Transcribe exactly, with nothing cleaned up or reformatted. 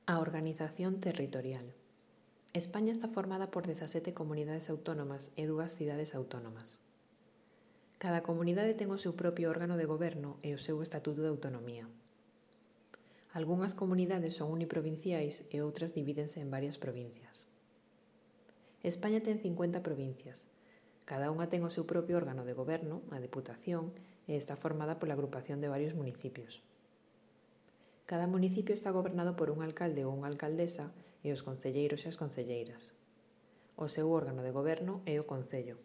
A organización territorial. España está formada por dezasete comunidades autónomas e dúas cidades autónomas. Cada comunidade ten o seu propio órgano de goberno e o seu estatuto de autonomía. Algunhas comunidades son uniprovinciais e outras divídense en varias provincias. España ten cincuenta provincias. Cada unha ten o seu propio órgano de goberno, a Deputación, e está formada pola agrupación de varios municipios. Cada municipio está gobernado por un alcalde ou unha alcaldesa e os concelleiros e as concelleiras. O seu órgano de goberno é o Concello.